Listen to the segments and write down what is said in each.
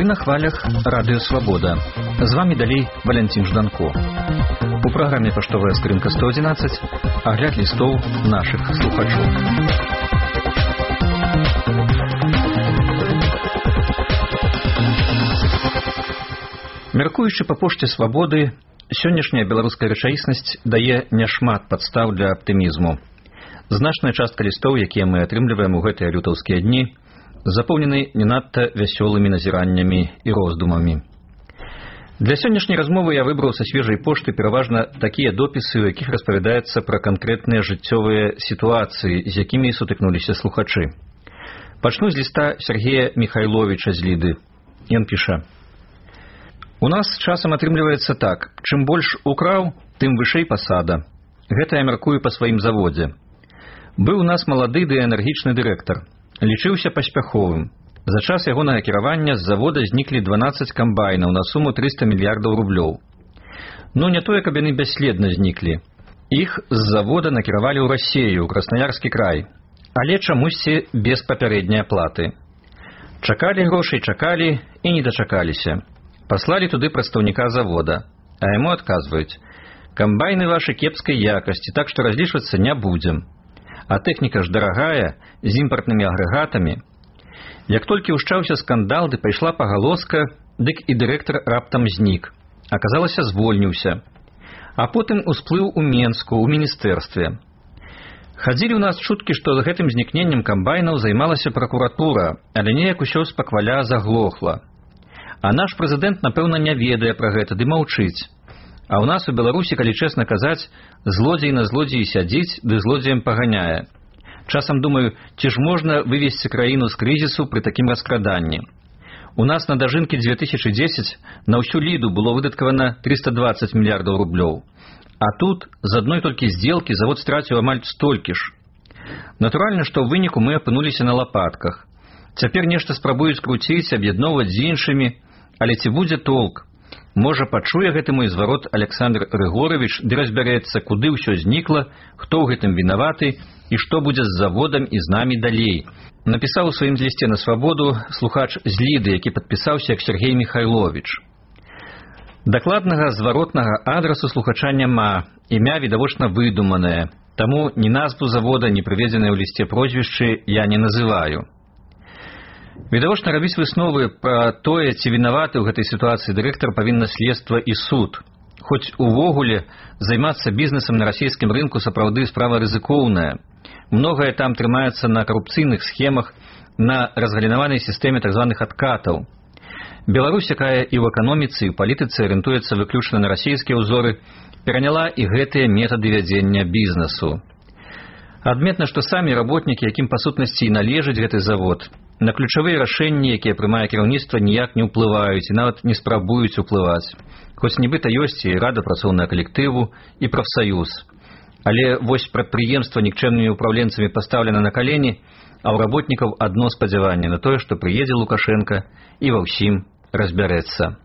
на хвалях Радыё Свабода. З вами далей Валентин Жданко. У праграме «Паштовая скрынка 111» агляд лістоў нашых слухачоў. Мяркуючы па пошце свабоды, сённяшняя беларуская рэчаіснасць дае няшмат падстаў для аптымізму. Значная частка лістоў, якія мы атрымліваем у гэтыя лютаўскія дні, запоўнены не надта вясёлымі назіраннямі і роздумамі. Для сённяшняй размовы я выбраў са свежай пошты пераважна такія допісы, у якіх распавядаецца пра канкрэтныя жыццёвыя сітуацыі, з якімі сутыкнуліся слухачы. Пачну з ліста Сергея Михайловича з Ліды. Ён піша: «У нас часам атрымліваецца так, чым больш украў, тым вышэй пасада. Гэта я мяркую па сваім заводзе. Быў у нас малады ды энергічны дырэктар. Лічыўся паспяховым. За час ягонага кіравання з завода зніклі 12 камбайнаў на суму 300 мільярдаў рублёў. Ну, не тое, каб яны бясследна зніклі. Іх з завода накіравалі ў Расею, ў Краснаярскі край. Але чамусьці без папярэдняй аплаты. Чакалі грошай, чакалі і не дачакаліся. Паслалі туды прадстаўніка завода. А яму адказваюць: камбайны вашы кепскай якасці, так што разлічвацца не будзем. А тэхніка ж дарагая, з імпартнымі агрэгатамі. Як толькі ўшчаўся скандал, ды пайшла пагалоска, дык і дырэктар раптам знік. Аказалася, звольніўся. А потым усплыў у Менску, у міністэрстве. Хадзілі ў нас чуткі, што з гэтым знікненнем камбайнаў займалася пракуратура, але неяк усё спакваля заглохла. А наш прэзідэнт, напэўна, не ведае пра гэта, ды маўчыць. А ў нас у Беларусі, калі чэсна казаць, злодзей на злодзеі сядзіць, ды злодзеем паганяе. Часам думаю, ці ж можна вывесці краіну з крызісу пры такім раскраданні. У нас на дажынкі 2010 на ўсю Ліду было выдаткавана 320 мільярдаў рублёў. А тут з адной толькі здзелкі завод страціў амаль столькі ж. Натуральна, што ў выніку мы апынуліся на лапатках. Цяпер нешта спрабуюць круціць, аб'ядноўваць з іншымі, але ці будзе толк? Можа, пачуе гэты мой зварот Александр Рыгорович, ды разбярэцца, куды ўсё знікла, хто ў гэтым вінаваты і што будзе з заводам і з намі далей. Напісаў у сваім лісце на свабоду слухач з Ліды, які падпісаўся як Сергей Михайлович. Дакладнага зваротнага адрасу слухача няма, імя відавочна выдуманае, таму ні назву завода, ні прыведзеныя ў лісце прозвішчы я не называю. Відавочна рабіць высновы пра тое, ці вінаваты ў гэтай сітуацыі дырэктар павінна следства і суд. Хоць увогуле займацца бізнесам на расійскім рынку сапраўды справа рызыкоўная. Многае там трымаецца на карупцыйных схемах, на разгалінаванай сістэме так званых адкатаў. Беларусь, якая і ў эканоміцы, і ў палітыцы арыентуецца выключна на расійскія ўзоры, пераняла і гэтыя метады вядзення бізнесу. Адметна, што самі работнікі, якім па сутнасці і належыць гэты завод, на ключавыя рашэнні, якія прымае кіраўніцтва, ніяк не ўплываюць і нават не спрабуюць уплываць. Хоць нібыта ёсць і рада працоўнага калектыву, і прафсаюз. Але вось прадпрыемства нікчэмнымі ўпраўленцамі пастаўлена на калені, а ў работнікаў адно спадзяванне на тое, што прыедзе Лукашенка і ва ўсім разбярэцца.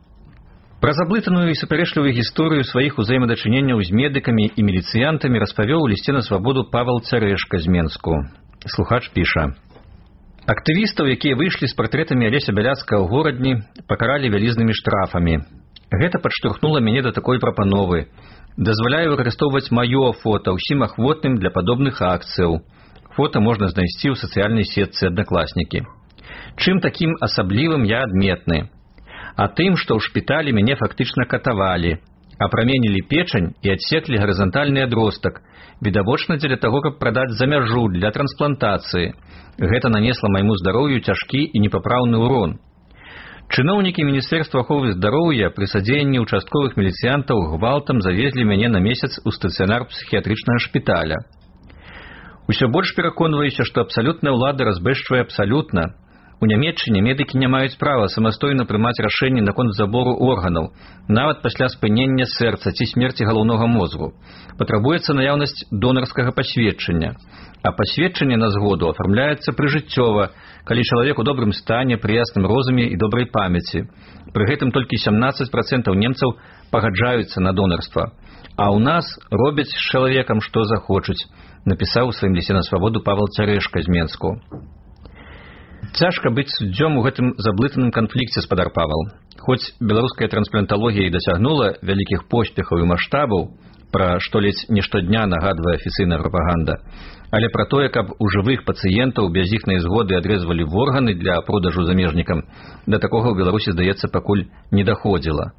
Пра заблытаную і супярэчлівую гісторыю сваіх узаемадачыненняў з медыкамі і міліцыянтамі распавёў у лісце на свабоду Павел Царэшка з Менску. Слухач піша: актывістаў, якія выйшлі з партрэтамі Алеся Бяляцкага ў горадні, пакаралі вялізнымі штрафамі. Гэта падштурхнула мяне да такой прапановы. Дазваляю выкарыстоўваць маё фота ўсім ахвотным для падобных акцыяў. Фота можна знайсці ў сацыяльнай сетцы «Аднакласнікі». Чым такім асаблівым я адметны? А тым, што ў шпіталі мяне фактычна катавалі, апраменілі печань і адсеклі гарызантальны адростак, відавочна дзеля таго, каб прадаць за мяжу для трансплантацыі. Гэта нанесла майму здароўю цяжкі і непапраўны ўрон. Чыноўнікі Міністэрства аховы здароўя пры садзеянні участковых міліцыянтаў гвалтам завезлі мяне на месяц у стацыянар псіхіятрычнага шпіталя. Усё больш пераконваюся, што абсалютная ўлада разбэшчвае абсалютна. У Нямецчыне медыкі не маюць права самастойна прымаць рашэнні наконт забору органаў, нават пасля спынення сэрца ці смерці галаўнога мозгу. Патрабуецца наяўнасць донарскага пасведчання. А пасведчанне на згоду афармляецца прыжыццёва, калі чалавек у добрым стане, пры ясным розуме і добрай памяці. Пры гэтым толькі 17% немцаў пагаджаюцца на донарства. А ў нас робяць з чалавекам, што захочуць, напісаў у сваім лісце на свабоду Павел Царэшка з Менску. Цяжка быць суддзём у гэтым заблытаным канфлікце, спадар Павал. Хоць беларуская транспланталогія і дасягнула вялікіх поспехаў і маштабаў, пра што ледзь не штодня нагадвае афіцыйная прапаганда, але пра тое, каб у жывых пацыентаў без іхнай згоды адрэзвалі органы для продажу замежнікам, да такога ў Беларусі, здаецца, пакуль не даходзіла.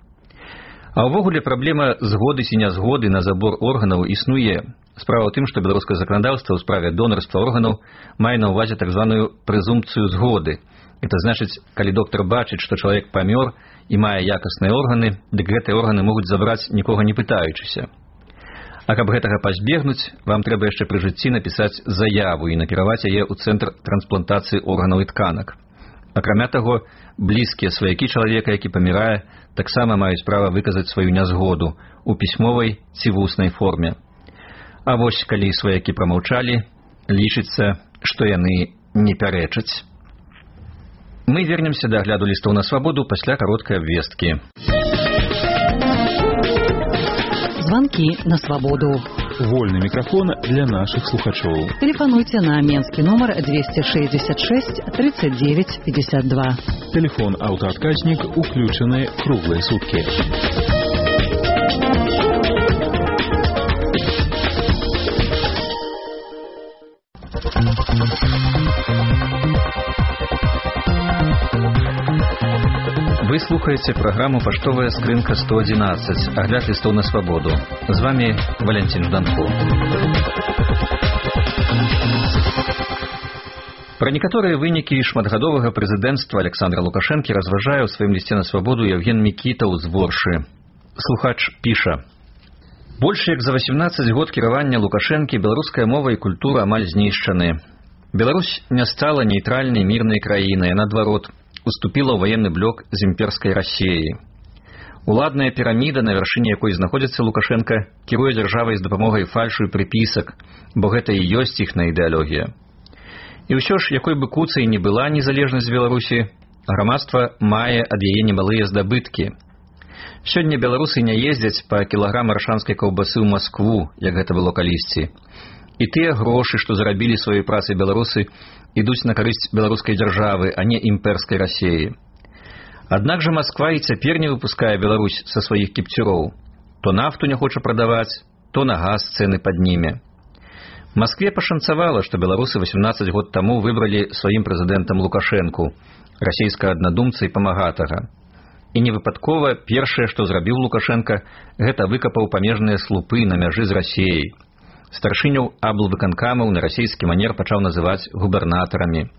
А ўвогуле праблема згоды ці нязгоды на забор органаў існуе. Справа ў тым, што беларускае заканадаўства ў справе донарства органаў мае на ўвазе так званую прэзумпцыю згоды. Это значыць, калі доктар бачыць, што чалавек памёр і мае якасныя органы, дык гэтыя органы могуць забраць нікога не пытаючыся. А каб гэтага пазбегнуць, вам трэба яшчэ пры жыцці напісаць заяву і накіраваць яе ў цэнтр трансплантацыі органаў і тканак. Акрамя таго, блізкія сваякі чалавека, які памірае, таксама маюць права выказаць сваю нязгоду у пісьмовай ці вуснай форме. А вось, калі сваякі прамаўчалі, лічыцца, што яны не пярэчаць. Мы вернемся да агляду лістоў на свабоду пасля кароткай абвесткі. Звонки на свободу. Вольный микрофон для наших слухачоў. Телефонуйте на менский номер 266 39 52. Телефон аўтаадказнік уключаны круглые сутки. Вы слухаете программу «Поштовая скрынка 111», огляд листов на свободу. С вами Валентин Жданков. Пра некаторыя вынікі шматгадовага прэзідэнцтва Александра Лукашэнкі разважае ў сваім лісце на свабоду Евген Мікітаў з Воршы. Слухач піша: «Больш як за 18 год кіравання Лукашэнкі беларуская мова і культура амаль знішчаны. Беларусь не стала нейтральнай мірнай краінай, а наадварот, уступила ў военны блок з імперскай Расіяй. Уладная піраміда, на вяршыні якой знаходзіцца Лукашенка, кіруе дзяржавай з дапамогай фальшу і прыпісак, бо гэта і ёсць іхная ідэалогія. І ўсё ж, якой бы куцай не была незалежнасць Беларусі, грамадства мае ад яе немалыя здабыткі. Сёння беларусы не ездзяць па кілаграм аршанскай каўбасы ў Маскву, як гэта было калісьці. І тыя грошы, што зарабілі сваёй працай беларусы, ідуць на карысць беларускай дзяржавы, а не імперскай Расіі. Аднак жа Масква і цяпер не выпускае Беларусь са сваіх кіпцюроў. То нафту не хоча прадаваць, то на газ цэны падніме. Маскве пашанцавала, што беларусы 18 год таму выбралі сваім прэзідэнтам Лукашэнку, расійскага аднадумца і памагатага. І невыпадкова першае, што зрабіў Лукашенка, гэта выкапаў памежныя слупы на мяжы з Расіяй. Старшыняў аблвыканкамаў на расійскі манер пачаў называць губернатарамі.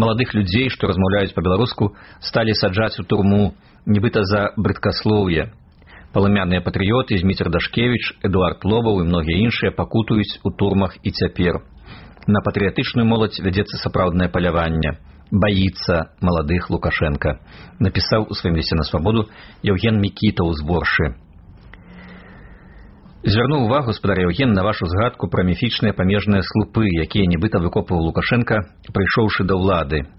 Маладых людзей, што размаўляюць па-беларуску, сталі саджаць у турму, нібыта за брыдкаслоўе. Паламяныя патрыёты Зміцер Дашкевіч, Эдуард Лобаў і многія іншыя пакутуюць у турмах і цяпер. На патрыятычную моладзь вядзецца сапраўднае паляванне. Баіцца маладых Лукашенка, напісаў у сваім лісце на свабоду Евген Мікітаў з Воршы. Звярнуў увагу, спадар Евген, на вашу згадку пра міфічныя памежныя слупы, якія нібыта выкопваў Лукашенка, прыйшоўшы да ўлады.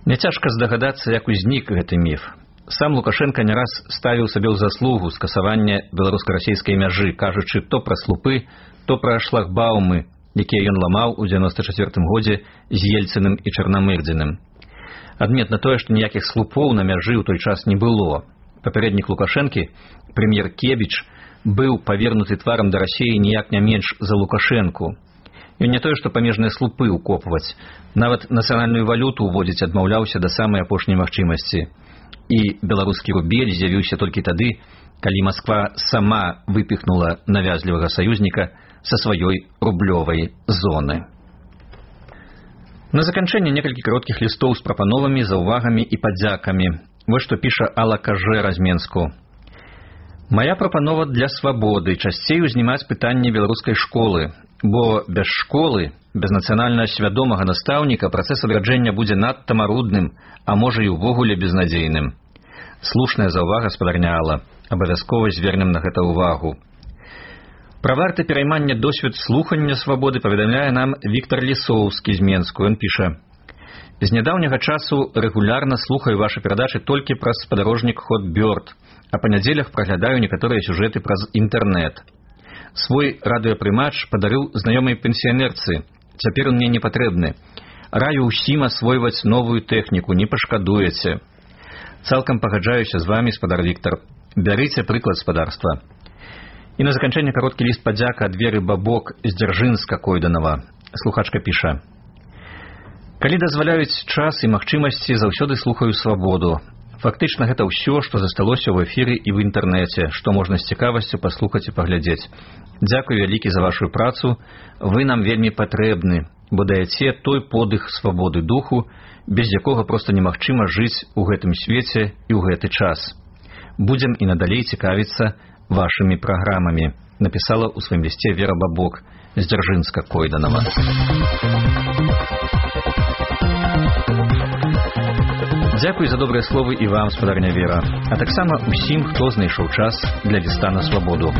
Няцяжка здагадацца, як узнік гэты міф. Сам Лукашенка не раз ставіў сабе ў заслугу скасавання беларуска-расійскай мяжы, кажучы то пра слупы, то пра шлагбаумы, якія ён ламаў у 94-м годзе з Ельцыным і Чарнамырдзіным. Адметна тое, што ніякіх слупоў на мяжы ў той час не было. Папярэднік Лукашэнкі, прэм'ер Кебіч, быў павернуты тварам да Расіі ніяк не менш за Лукашэнку. Ён не тое, што памежныя слупы ўкопваць, нават нацыянальную валюту ўводзіць адмаўляўся да самай апошняй магчымасці. І беларускі рубель з'явіўся толькі тады, калі Масква сама выпіхнула навязлівага саюзніка са сваёй рублёвай зоны. На заканчэнне некалькі кароткіх лістоў з прапановамі, заўвагамі і падзякамі. Вось што піша Алла Кажэра з Менску. Моя прапанова для свабоды часцей узнімаць пытанне беларускай школы, бо без школы, без нацыянальна свядомага настаўніка працэс адраджэння будзе надта марудным, а можа і ўвогуле безнадзейным. Слушная заўвага, спадарня Алла, абавязкова звернем на гэта ўвагу. Пра варты пераймання досвед слухання свабоды паведамляе нам Віктор Лісоўскі з Менску. Ён піша: «З нядаўняга часу рэгулярна слухаю вашы перадачы толькі праз спадарожнік Хот Бёрд, а па нядзелях праглядаю некаторыя сюжэты праз інтэрнэт. Свой радыёпрымач падарыў знаёмай пенсіянерцы. Цяпер он мне не патрэбны. Раю ўсім асвойваць новую тэхніку, не пашкадуеце. Цалкам пагаджаюся з вами, спадар Віктар. Бярыце прыклад спадарства. І на заканчэнне кароткі ліст падзяка ад Веры Бабок з Дзяржынска-Койданава. Слухачка піша: «Калі дазваляюць час і магчымасці, заўсёды слухаю свабоду. Фактычна гэта ўсё, што засталося ў эфіры і в інтэрнэце, што можна з цікавасцю паслухаць і паглядзець. Дзякуй вялікі за вашу працу, вы нам вельмі патрэбны, бо даяце той подых свабоды духу, без якога проста немагчыма жыць у гэтым свеце і ў гэты час. Будзем і надалей цікавіцца вашымі праграмамі», напісала ў сваім лісце Вера Бабок з Дзяржынска-Койданава. Дзякуй за добрыя словы і вам, спадарня Вера, а таксама ўсім, хто знайшоў час для ліста на свабоду.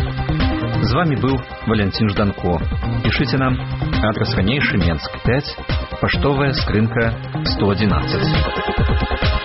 З вами быў Валянцін Жданко. Пішыце нам, адрас ранейшы, Менск 5, паштовая скрынка 111.